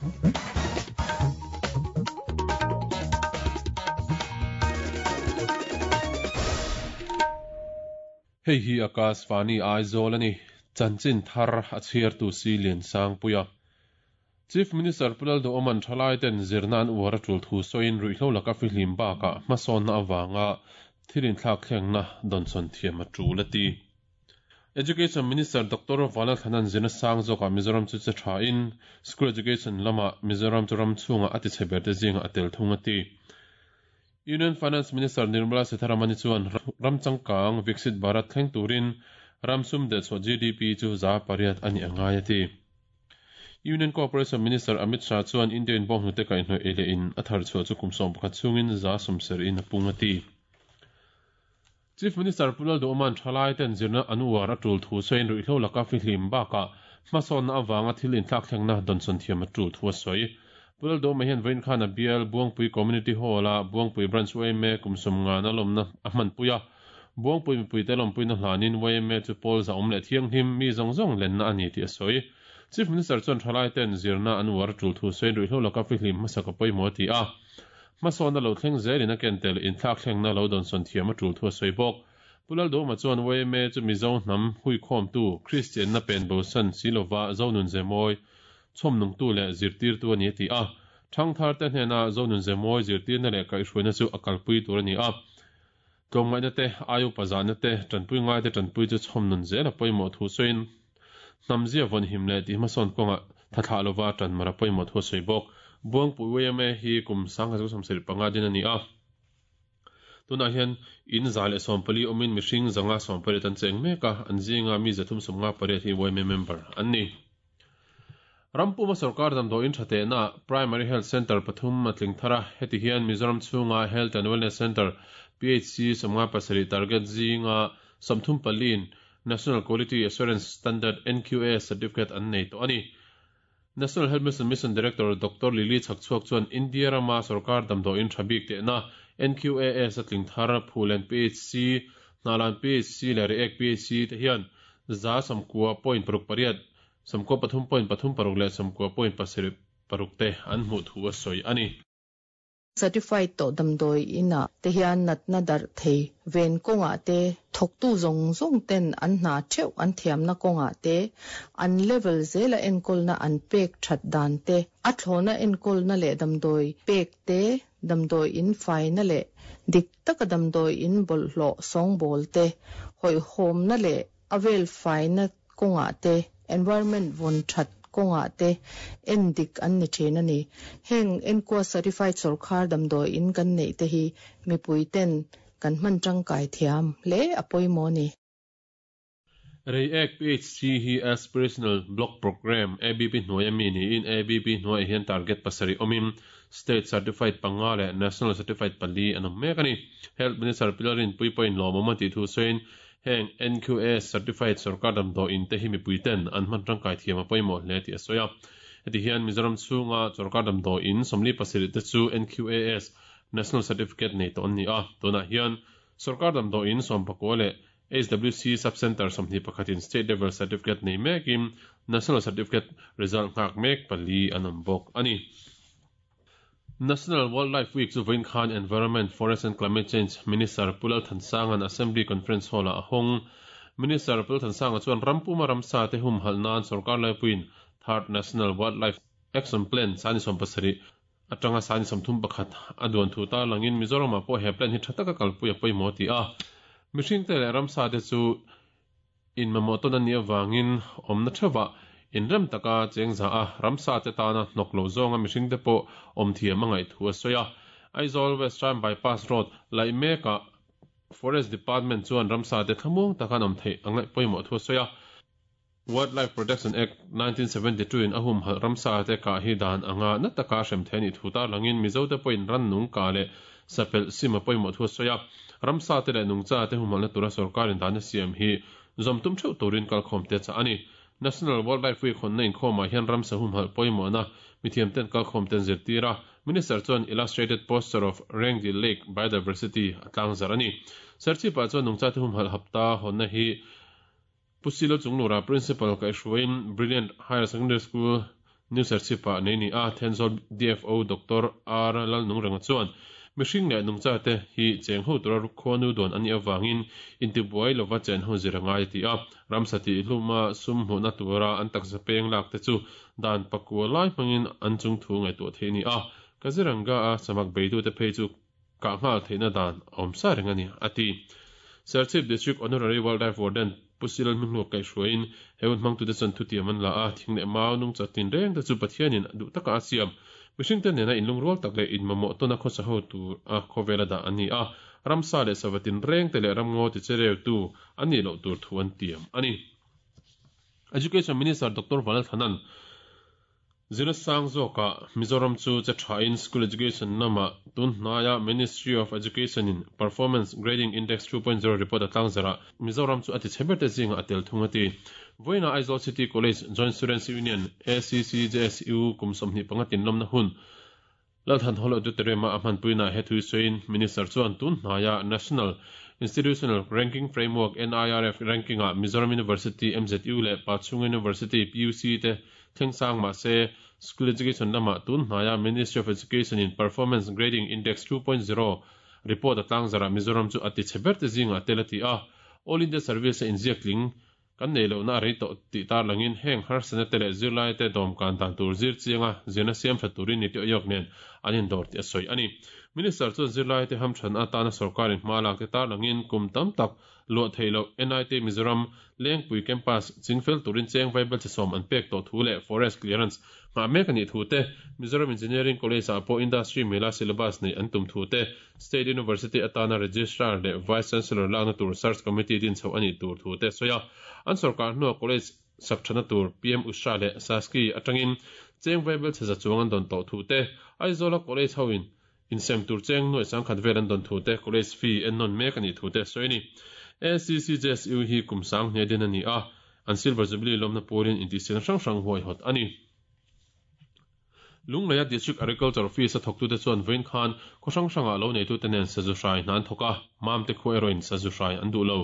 Hei hi Akashvani Aizawl a ni. Chanchin thar a chhiartu si Liansangpuia. Chief Minister Pu Lalduhawma'n thalaiten zirna an uar a tul thu sawiin ruihhlo laka fihlim bakah hmasawnna avanga thil inthlak thlengna dawnsawn thiam a tul a ti. Education Minister Doctor Vanlalthlana'n zirna sang zawkah Mizoram chu che thain School Education lamah Mizoram chu ram chhungah a tichhe berte zingah a tel thung a ti. Union Finance Minister Nirmala Sitharaman-i chuan ram changkang Viksit Bharat thleng turin ram sum dehchhuah GDP chu 8% a nih a ngai a ti. Union Cooperation Minister Amit Shah chuan India in bawnghnute kaihhnawih ei leh in a thar chhuah chu kum 11 chhungin 70% in a pung a ti. Chief Minister Pu Lalduhawma'n thalai ten zirna an uar a tul thu sawiin ruihhlo laka fihlim bakah hmasawnna avanga thil inthlakthlengna dawnsawn thiam a tul thu a sawi. Pu Lalduhawma hian vawiin khan a bial Buangpui Community Hall-a Buangpui Branch yma kum 50 lawmna a hmanpui a. Buangpui mipuite lawmpuina hlanin yma chu pawl zahawm leh thianghlim mi zawng zawng lenna a ni tih a sawi. Chief Minister chuan thalai ten zirna an uar a tul thu sawiin ruihhlo laka fihlim hmasa ka pawimawh a ti a. Hmasawnna lo thleng zelin a ken tel inthlakthlengna lo dawnsawn thiam a tul thu a sawi bawk. Pu Lalduhawma chuan yma chu Mizo hnam huikhawmtu, Kristianna pen bosan si lova Zonun Zemawi chhawmnungtu leh zirtirtu a ni a ti a. Thangtharte hnena Zonun Zemawi zirtirna leh kaihhruaina chu a kalpui tur a ni a. Tlawmngaihna te, ai upa zahna te, tanpui ngaite tanpui chu chhawmnun zel a pawimawh thu sawiin hnamzia vawnhim leh tihhmasawn kawngah thathlah lova tanmar a pawimawh thu a sawi bawk. Buangpui yma hi kum 1975 din a ni a. Tunah hian in 114 awmin mihring 118 an cheng mek a, an zinga mi 358 hi yma member an ni. Rampuma sorkar damdawiin tha tehna Primary Health Centre pathum a tling thar a, heti hian Mizoram chhunga Health and Wellness Centre, PHC, 57 target zinga 34 in National Quality Assurance Standard, NQAS, certificate an nei tawh a ni. National Health Mission Mission Director Doctor Lily Chhakchhuak chuan India rama sorkar damdawiin tha bik tehna NQAS a tling thar Phulen PHC, Hnalan PHC leh Reiek PHC te hian 90.68, 93.36 leh 90.76 te an hmuh thu a sawi a ni. Certified tawh damdawi inah te hian natna darh thei ven kawngah te, thawktu zawng zawng ten an hna theuh an thiamna kawngah te, an level zela enkawlna an pek that dan te, a thlawna enkawlna leh damdawi pek te, damdawi in faina leh dik taka damdawi in bawlhhlawh sawngbawl te, hawihhawmna leh a vel faina kawngah te, environment vawn that kawngah te en dik an ni thin a ni. Heng enkua certified sawrkhar damdawi in kan neih te hi mipui ten kan hman tangkai thiam hle a pawimawh a ni. Reiek PHC hi Aspirational Block Programme, ABP, hnuaia mi niin ABP hnuaiah hian target pasarih awmin State Certified panga leh National Certified pali an awm mek a ni. Health Minister Pilar Rinpui pawhin lawmawm a tih thu sawiin Heng NQAS certified sorkar damdawiin te hi mipui ten an hman tangkai thiam a pawimawh hle tih a sawi a. Heti hian Mizoram chhunga sorkar damdawiin 47 te chu NQAS National Certificate nei tawh an ni a. Tunah hian sorkar damdawiin 19 leh HWC Sub-Centre 21 in State Level Certificate nei mekin National Certificate result nghak mek pali an awm bawk a ni. National Wildlife Week chu vawiin khan Environment, Forest and Climate Change Minister Pu Lalthansanga Assembly Conference Hall-ah a hawng. Minister Pu Lalthansanga chuan ram puma ramsa te humhalh nan sorkar laipuiin Third National Wildlife Action Plan sani 70 atanga sani 31 a duan thu tarlangin Mizoramah pawh he plan hi tha taka kalpui a pawimawh a ti a. Mihringte leh ramsa te chu Inmamawh tawn a nih avangin awmna theuhah inrem taka cheng za a, ramsa te tana hnawk lo zawnga mihringte pawh awm thiam a ngaih thu a sawi a. Aizawl West Ram Bypass Road laih mekah Forest Department chuan ramsa te thlamuang taka an awm theih a ngaih pawimawh thu a sawi a. Wildlife Protection Act, 1972 in a humhalh ramsa te kah hi dan anga na taka hrem thei a nih thu tarlangin Mizote pawhin rannung kah leh Sapelh sim a pawimawh thu a sawi a, ramsa te leh nungcha te humhalhna tura sorkarin dan a siam hi zawm tum theuh turin kalkhawm te a chah a ni. National Wildlife Week hawnna inkhawmah hian ramsa humhalh pawimawhna mithiam ten kalkhawm te an zirtir a, Minister chuan Illustrated Poster of Rengdil Lake Biodiversity a tlangzarh a ni. Serchhipah chuan nungcha te humhalh hapta hawnna hi Pu Silo Chunglura Principal kaihhruaiin Brilliant Higher Secondary School New Serchhip-ah nei ni a, Thenzawl DFO Doctor R Lalnungrenga chuan mihring leh nungchate hi cheng ho tura khuanu dawn an nih avangin intibuai lova chen ho zir a ngai a ti a. Ramsa tih hluma sum hmuhna tura an taksa peng lak te chu dan pakua lai hmangin an chung thu ngaihtuah theih a ni a. Kaziranga-a samak beitute phei chu kah nghal theihna dan a awm sa reng a ni, a ti. Serchhip District Honorary Wildlife Warden Pu Silal Hminghluak kaihhruaiin he hun hmangtute chuan thutiam an la a, thing leh mau nungcha tinreng te chu Pathianin duh taka a siam. Mihringte nena inlungrual tak leh inmamawh tawna khawsa ho tur a khawvela dah an ni a, ramsa leh sava tinreng te leh ramngaw tichereutu an nih loh tur thu an tiam a ni. Education Minister Doctor Vanlalthanan Zirna sang zawkah Mizoram chu che thain School Education lamah tun hnaia Ministry of Education in Performance Grading Index 2.0 report a tlangzarah Mizoram chu a ti chhe berte zingah a tel thung a ti. Vawiinah Aizawl City College Joint Students Union, ACCJSU, kum 25 tinlawmna hun Lalthan Hall Auditorium-a a hmanpuinaah he thu sawiin Minister chuan tun hnaia National Institutional Ranking Framework, NIRF, ranking-ah Mizoram University, MZU, leh Pachhunga University, PUC, te thleng sang mah se School Education lamah tun hnaia Ministry of Education-in Performance Grading Index 2.0 report a tlangzarah Mizoram chu a ti chhe ber te zingah a tel a ti a. All India Service-a inziak tling Kan nei lohna a rei tawh tih tarlangin heng harsatna te leh zirlaite dawmkan dan tur zir chianga zirna siam tha turin niti awihawk nen an indawr tih a sawi a ni. Minister chuan zirlaite hamthan atana sorkarin hma lak te tarlangin kum tam tak luah theih loh NIT Mizoram Lengpui Campus chingfel turin cheng vaibelchhe sawm an pek tawh thu leh Forest Clearance nghah mek a nih thu te, Mizoram Engineering College-ah pawh Industry mila syllabus neih an tum thu te, State University atana Registrar leh Vice Chancellor lakna tur Search Committee din chhoh a nih tur thu te a sawi a. An sorkar hnuah College sak thana tur PM Usha leh Saski atangin cheng vaibel chhe za chuang an dawn tawh thu te, Aizawla College hoin insem tur cheng nuai sangkhat vel an dawn thu te, College fee ennawn mek a nih thu te a sawi a ni. ACCJSU hi kum sang hne din a ni a, an Silver Jubilee lawmna pawlin intihsiakna hrang hrang huaihawt a ni. Lungleia District Agriculture Office a thawktute chuan vawiin khan khaw hrang hrangah lo neitute nen sazu hrai hna an thawk a, Mamte khua erawhin sazu hrai an duh lo.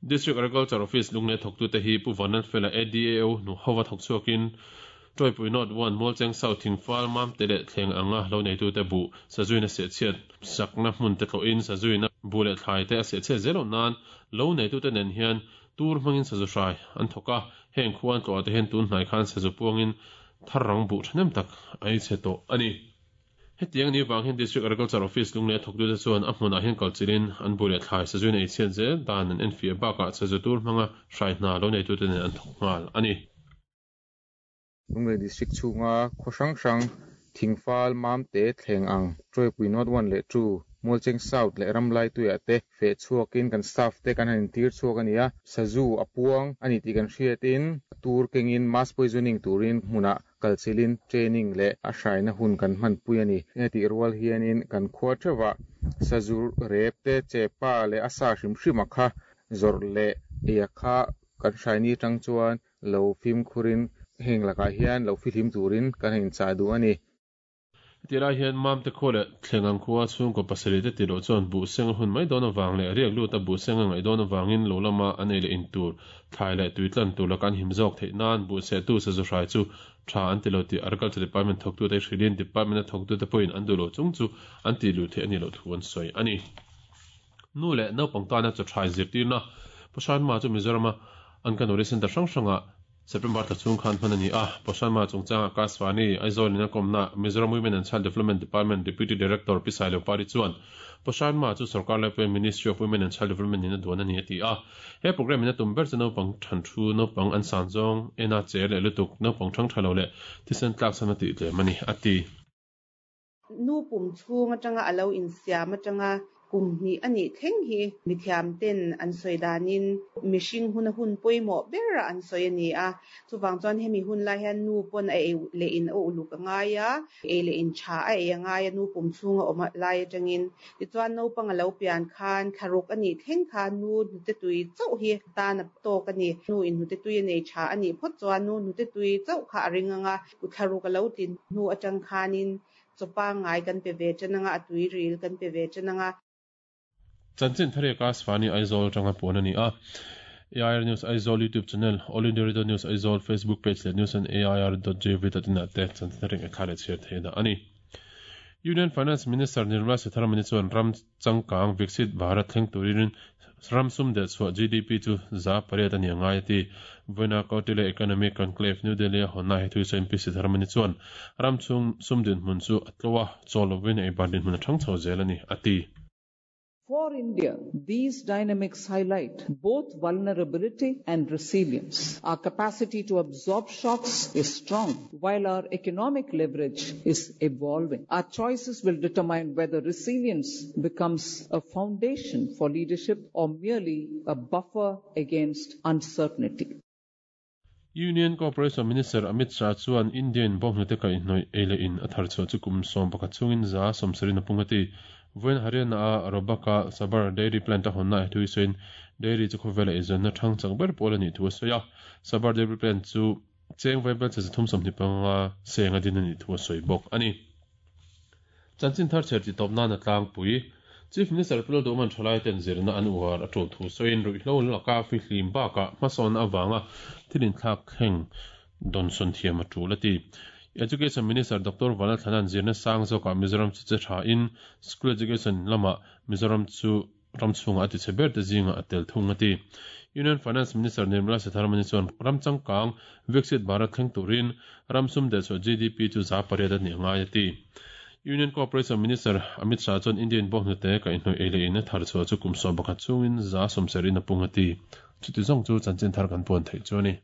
District Agriculture Office Lunglei thawktute hi Pu Vanlalfela ADAO hnu hova thawk chhuakin Tawipui North One, Mualcheng South, Thingfal, Mamte leh Thleng anga lo neitute buh sazuin a sehchhiat sakna hmun te tlawhin sazuin a buh leh thlai te a sehchhiat zel loh nan lo neitute nen hian Tur hmangin sazu hrai an thawk a, heng khua an tlawhah te hian tun hnai khan sazu puangin thar rang buh thahnem tak a ei chhe tawh a ni. Hetiang ni vang hian District Agriculture Office Lunglei a thawktute chuan a hmunah hian kalchilhin an buh leh thlai sazuin ei chhiat zel dan an enfiah bakah sazu tur hmanga hrai hna lo neitute nen an thawk nghal a ni. Lunglei District chhunga khaw hrang hrang, Thingfal, Mamte, Thleng ang, Tawipui North One leh Two, Mualcheng South leh Ramlaituiah te feh chhuakin kan staff te kan han intir chhuak a ni a. Sazu a puang a ni tih kan hriatin a tur kengin mass poisoning turin hmunah kalchilhin training leh a hraina hun kan hmanpui a ni. Heti rual hianin kan khua theuhah sazu rep te, chepa leh a sa hrim hrim a kha zawrh leh ei a kha kan hraini atang chuan Lo fimkhurin heng lakah hian lo fihlim turin kan han inchah duh a ni. Heti lai hian Mamte khua leh Thlengang khua chhungkaw pasarih te tih loh chuan buh seng a hun mai dawn avang leh riak lut a buh seng a ngaih dawn avangin lo lama an ei leh in tur, thlai leh tui tlan tur laka an him zawk theih nan buh sehtu sazu hrai chu tha an ti lo tih Agriculture Department thawktute hrilhin Department a thawktute pawhin an duh lo chung chu an tih luh theih a nih loh thu an sawi a ni. Nu leh naupang tana chaw tha inzirtirna Poshanma chu Mizorama Anganwadi Centre hrang hrangah September thla chhung khan hman a ni a. Poshanma chungchanga Akashvani, Aizawl in a kawmna Mizoram Women and Child Development Department Deputy Director Pi Sailopari chuan Poshanma chu sorkar laipuia Ministry of Women and Child Development in a duan a ni a ti a. He programme in a tum ber chu naupang than thu, naupang an san zawng, ena che leh lutuk, naupang thang tha lo leh thisen tlak chhan a tih tlem a ni a ti. Nu pum chhung atanga a lo insiam atanga kum hnih a nih thleng hi mithiam ten an sawi danin mihring huna hun pawimawh ber a an sawi a ni a. Chuvang chuan hemi hun lai hian nu pawn a ei leh in a uluk a ngai a, ei leh in tha a ei a ngai a nu pum chhunga awm lai atangin. Tichuan naupang a lo pian khan thlaruk a nih thleng khan nu hnute tui chauh hi tan a tawk a ni. Nu in hnute tui a nei tha a nih phawt chuan nu hnute tui chauh kha a ring ang a. Thlaruk a lo tin hnu atang khanin chaw pangngai kan pe ve tan anga, a tuiril kan pe ve tan anga. Chanchin Thariaka Svani Aizawl atanga puan a ni a. AIR News Aizawl YouTube channel, All India Radio News Aizawl Facebook page leh news on air dot gov dot in ah te chanchin thar ngaihthlak leh chhiar theihna a ni. Union Finance Minister Nirmala Sitharaman-i chuan ram changkang Viksit Bharat thleng turin ram sum deh chhuah GDP chu 8% a ni a ngai a ti. Vawiina Kautilya Economic Conclave New Delhi a hawnna he thu sawiin Pi Sitharaman-i chuan ram chhung sum dinhmun chu a tlo a, chaw lovin eibar dinhmun a thang chho zel a ni a ti. For India, these dynamics highlight both vulnerability and resilience. Our capacity to absorb shocks is strong, while our economic leverage is evolving. Our choices will determine whether resilience becomes a foundation for leadership or merely a buffer against uncertainty. Union Cooperation Minister Amit Shah chuan Indian bawnghnute kaihhnawih ei leh in a thar chhuah chu kum 11 chhungin 70% a pung a ti. Vawiin Haryana-a Robaka Sabar Dairy Plant a hawnna thu hi sawiin dairy chu khawvela eizawnna thang chak ber pawl a nih thu a sawi a. Sabar Dairy Plant chu cheng vaibel che 325 seng a din a nih thu a sawi bawk a ni. Chanchin thar chher tih tawp nan a tlangpui. Chief Minister Pu Lalduhman thalai ten zirna an uar a tul thu sawiin ruihhlo laka fihlim bakah hmasawnna avanga thil inthlak thleng dawnsawn thiam a tul a ti. Education Minister Doctor Vanlalthlana'n zirna sang zawkah Mizoram chu che thain School Education lamah Mizoram chu ram chhungah a ti chhe ber te zingah a tel thung a ti. Union Finance Minister Nirmala Sitharaman chuan ram changkang Viksit Bharat thleng turin ram sum deh chhuah GDP chu 8% a nih a ngai a ti. Union Cooperation Minister Amit Shah chuan Indian bawnghnute kaihhnawih ei leh in a thar chhuah chu kum 11 chhungin 70% a pung a ti. Chuti zawng chu chanchin thar kan puan theih chu a ni.